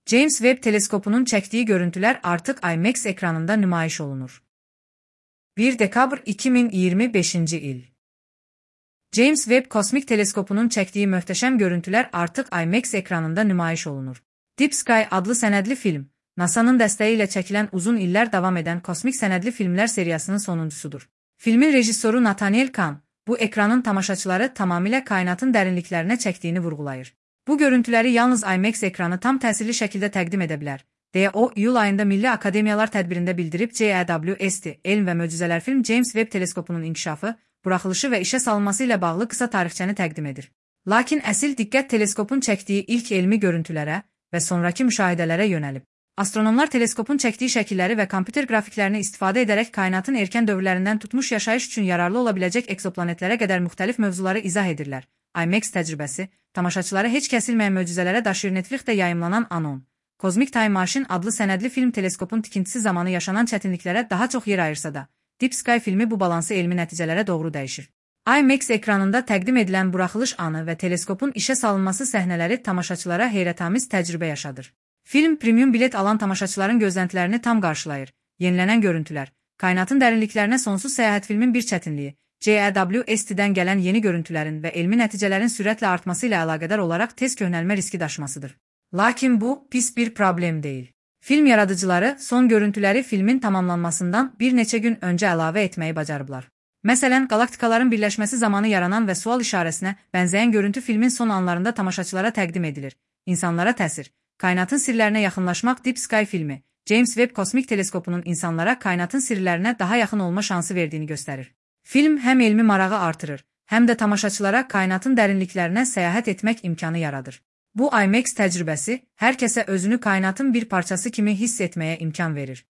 James Webb teleskopunun çəkdiyi görüntülər artıq IMAX ekranında nümayiş olunur. 1 dekabr 2025-ci il. James Webb kosmik teleskopunun çəkdiyi möhtəşəm görüntülər artıq IMAX ekranında nümayiş olunur. Deep Sky adlı sənədli film, NASA'nın dəstəyi ilə çəkilən uzun illər davam edən kosmik sənədli filmlər seriyasının sonuncusudur. Filmin rejissoru Nathaniel Kahn, bu ekranın tamaşaçıları tamamilə kainatın dərinliklərinə çəkdiyini vurğulayır. Bu görüntüləri yalnız IMAX ekranı tam təsirli şəkildə təqdim edə bilər, deyə o, iyul ayında Milli Akademiyalar tədbirində bildirib. JEWST, Elm və Möcüzələr film James Webb teleskopunun inkişafı, buraxılışı və işə salınması ilə bağlı qısa tarixçəni təqdim edir. Lakin əsl diqqət teleskopun çəkdiyi ilk elmi görüntülərə və sonrakı müşahidələrə yönəlib. Astronomlar teleskopun çəkdiyi şəkilləri və kompüter qrafiklərini istifadə edərək kainatın erkən dövrlərindən tutmuş yaşayış üçün yararlı ola biləcək ekzoplanetlərə qədər müxtəlif mövzuları izah edirlər. IMAX təcrübəsi, tamaşaçıları heç kəsilməyən möcüzələrə daşıyır. Netflixdə yayımlanan Anon, Cosmic Time Machine adlı sənədli film teleskopun tikintisi zamanı yaşanan çətinliklərə daha çox yer ayırsa da, Deep Sky filmi bu balansı elmi nəticələrə doğru dəyişir. IMAX ekranında təqdim edilən buraxılış anı və teleskopun işə salınması səhnələri tamaşaçılara heyrətamiz təcrübə yaşadır. Film premium bilet alan tamaşaçıların gözləntilərini tam qarşılayır. Yenilənən görüntülər, kainatın dərinliklərinə sonsuz səyahət filmin bir çətinliyi, JEWST-dən gələn yeni görüntülərin və elmi nəticələrin sürətlə artması ilə əlaqədar olaraq tez köhnəlmə riski daşımasıdır. Lakin bu, pis bir problem deyil. Film yaradıcıları son görüntüləri filmin tamamlanmasından bir neçə gün öncə əlavə etməyi bacarıblar. Məsələn, qalaktikaların birləşməsi zamanı yaranan və sual işarəsinə bənzəyən görüntü filmin son anlarında tamaşaçılara təqdim edilir. İnsanlara təsir. Kainatın sirlərinə yaxınlaşmaq. Deep Sky filmi, James Webb kosmik teleskopunun insanlara kainatın sirlərinə daha yaxın olma şansı verdiyini göstərir. Film həm elmi marağı artırır, həm də tamaşaçılara kainatın dərinliklərinə səyahət etmək imkanı yaradır. Bu IMAX təcrübəsi hər kəsə özünü kainatın bir parçası kimi hiss etməyə imkan verir.